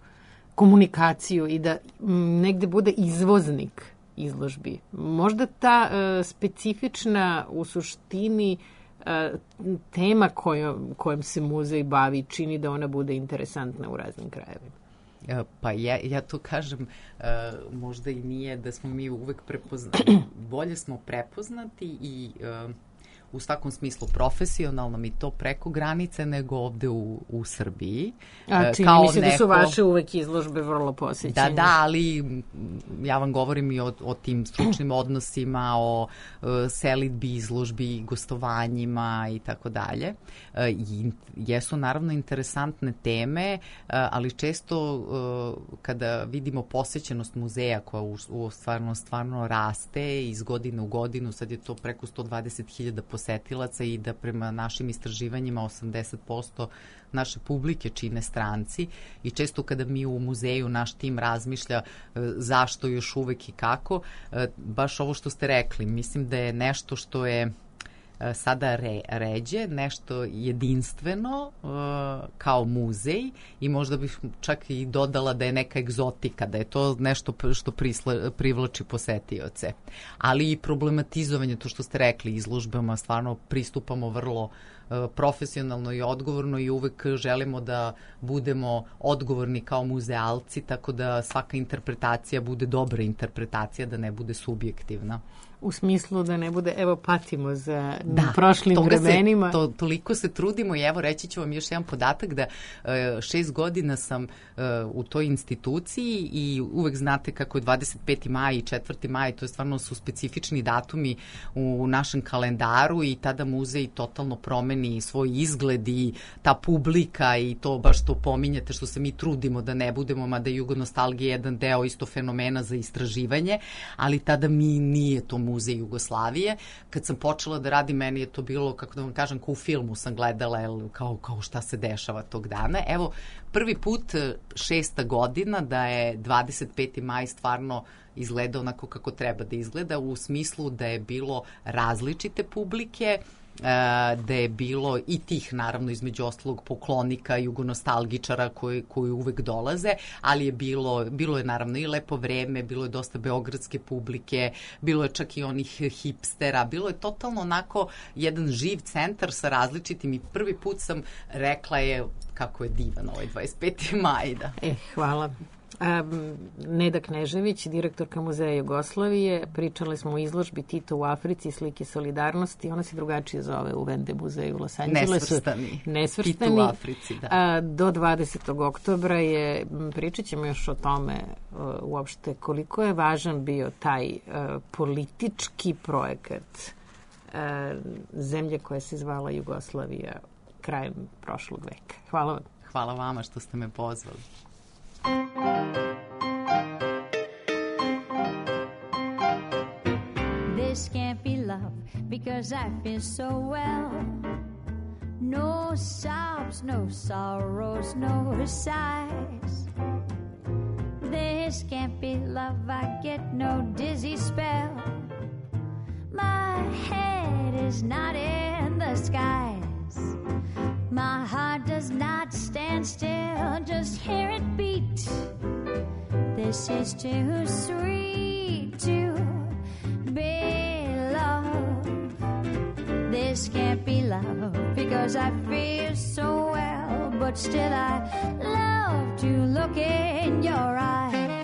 komunikaciju i da m, negde bude izvoznik izložbi. Možda ta e, specifična u suštini e, tema kojom, kojom se muzej bavi čini da ona bude interesantna u raznim krajevima. Pa ja, ja to kažem, uh, možda i nije da smo mi uvek prepoznati, bolje smo prepoznati i uh, u svakom smislu profesionalno mi to preko granice nego ovde u, u Srbiji. A čini mi se neko... da su vaše uvek izložbe vrlo posjećene. Da, da, ali ja vam govorim i o, o tim stručnim odnosima, o uh, selidbi, izložbi, gostovanjima i tako dalje. I jesu naravno interesantne teme, uh, ali često uh, kada vidimo posjećenost muzeja koja u, u stvarno, stvarno raste iz godine u godinu, sad je to preko sto dvadeset hiljada posetilaca i da prema našim istraživanjima osamdeset posto naše publike čine stranci i često kada mi u muzeju naš tim razmišlja e, zašto još uvek i kako, e, baš ovo što ste rekli, mislim da je nešto što je e, sada re, ređe, nešto jedinstveno e, kao muzej i možda bih čak i dodala da je neka egzotika, da je to nešto što prisla, privlači posetioce. Ali i problematizovanje, to što ste rekli, izložbama stvarno pristupamo vrlo profesionalno i odgovorno i uvek želimo da budemo odgovorni kao muzealci, tako da svaka interpretacija bude dobra interpretacija, da ne bude subjektivna. U smislu da ne bude, evo, patimo za da, prošlim vremenima. Se, to, toliko se trudimo i evo reći ću vam još jedan podatak da uh, šest godina sam uh, u toj instituciji i uvek znate kako je dvadeset peti maj i četvrti maj, to je stvarno su specifični datumi u našem kalendaru i tada muzej totalno promeni svoj izgled i ta publika i to baš to pominjete što se mi trudimo da ne budemo, mada je jugonostalgija jedan deo isto fenomena za istraživanje, ali tada mi nije to muzej Jugoslavije. Kad sam počela da radim, meni je to bilo, kako da vam kažem, kao u filmu sam gledala, kao, kao šta se dešava tog dana. Evo, prvi put šesta godina da je dvadeset peti maj stvarno izgleda onako kako treba da izgleda, u smislu da je bilo različite publike, da je bilo i tih, naravno, između ostalog poklonika, jugonostalgičara koji, koji uvek dolaze, ali je bilo, bilo je naravno i lepo vreme, bilo je dosta beogradske publike, bilo je čak i onih hipstera, bilo je totalno onako jedan živ centar sa različitim i prvi put sam rekla je kako je divan ovaj dvadeset peti maj. Da. E, hvala. Um, Neda Knežević, direktorka Muzeja Jugoslavije, pričali smo o izložbi Tito u Africi, slike solidarnosti, ona se drugačije zove u Vende muzeju u Los Angelesu. Nesvrstani. Nesvrstani. Tito u Africi, da. A, do dvadesetog oktobra je, pričat ćemo još o tome uh, uopšte koliko je važan bio taj uh, politički projekat uh, zemlje koja se zvala Jugoslavija krajem prošlog veka. Hvala vam. Hvala vama što ste me pozvali. This can't be love because I feel so well. No sobs, no sorrows, no sighs. This can't be love, I get no dizzy spell. My head is not in the skies. My heart does not stand still, just hear it beat. This is too sweet to be love. This can't be love because I feel so well, but still I love to look in your eyes.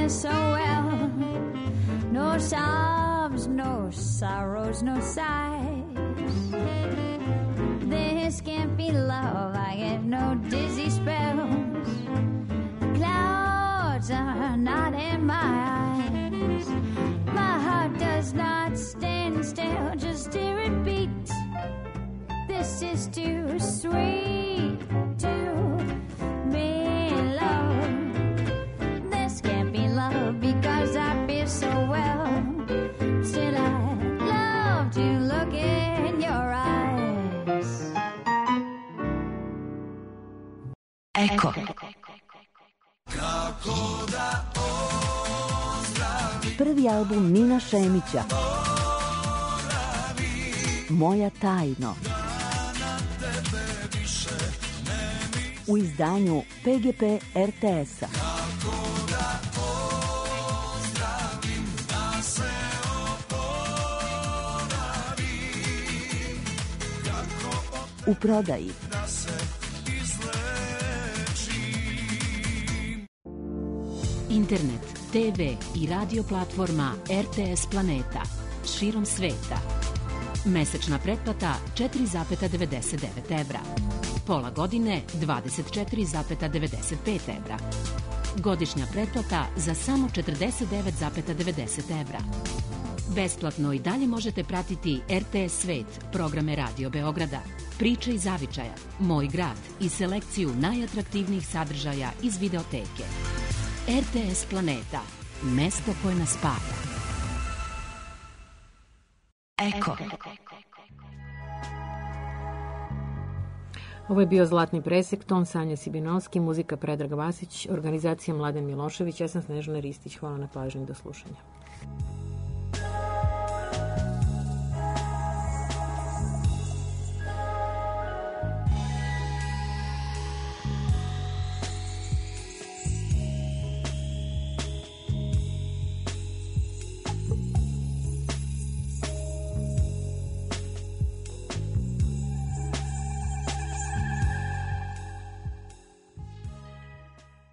So well, no sobs, no sorrows, no sighs. This can't be love, I get no dizzy spells. Clouds are not in my eyes. My heart does not stand still, just hear it beat. This is too sweet to be loved. Because I feel so well, still I love to look in your eyes. Eko. Prvi album Nina Šemića, Moja tajno, u izdanju P G P R T S-a. U prodaji. Internet, te ve i radio platforma R T S Planeta širom sveta. Mesečna pretplata četiri zarez devedeset devet evra. Pola godine dvadeset četiri zarez devedeset pet evra. Godišnja pretplata za samo četrdeset devet zarez devedeset evra. Besplatno i dalje možete pratiti R T S Svet, programe Radio Beograda, Priče iz Zavičaja, Moj grad i selekciju najatraktivnijih sadržaja iz videoteke. R T S Planeta, mesto koje nas spaja. Eko. Ovo je bio Zlatni presek, ton Sanja Sibinovski, muzika Predrag Vasić, organizacija Mladen Milošević, ja sam Snežana Ristić. Hvala na pažnji, do slušanja.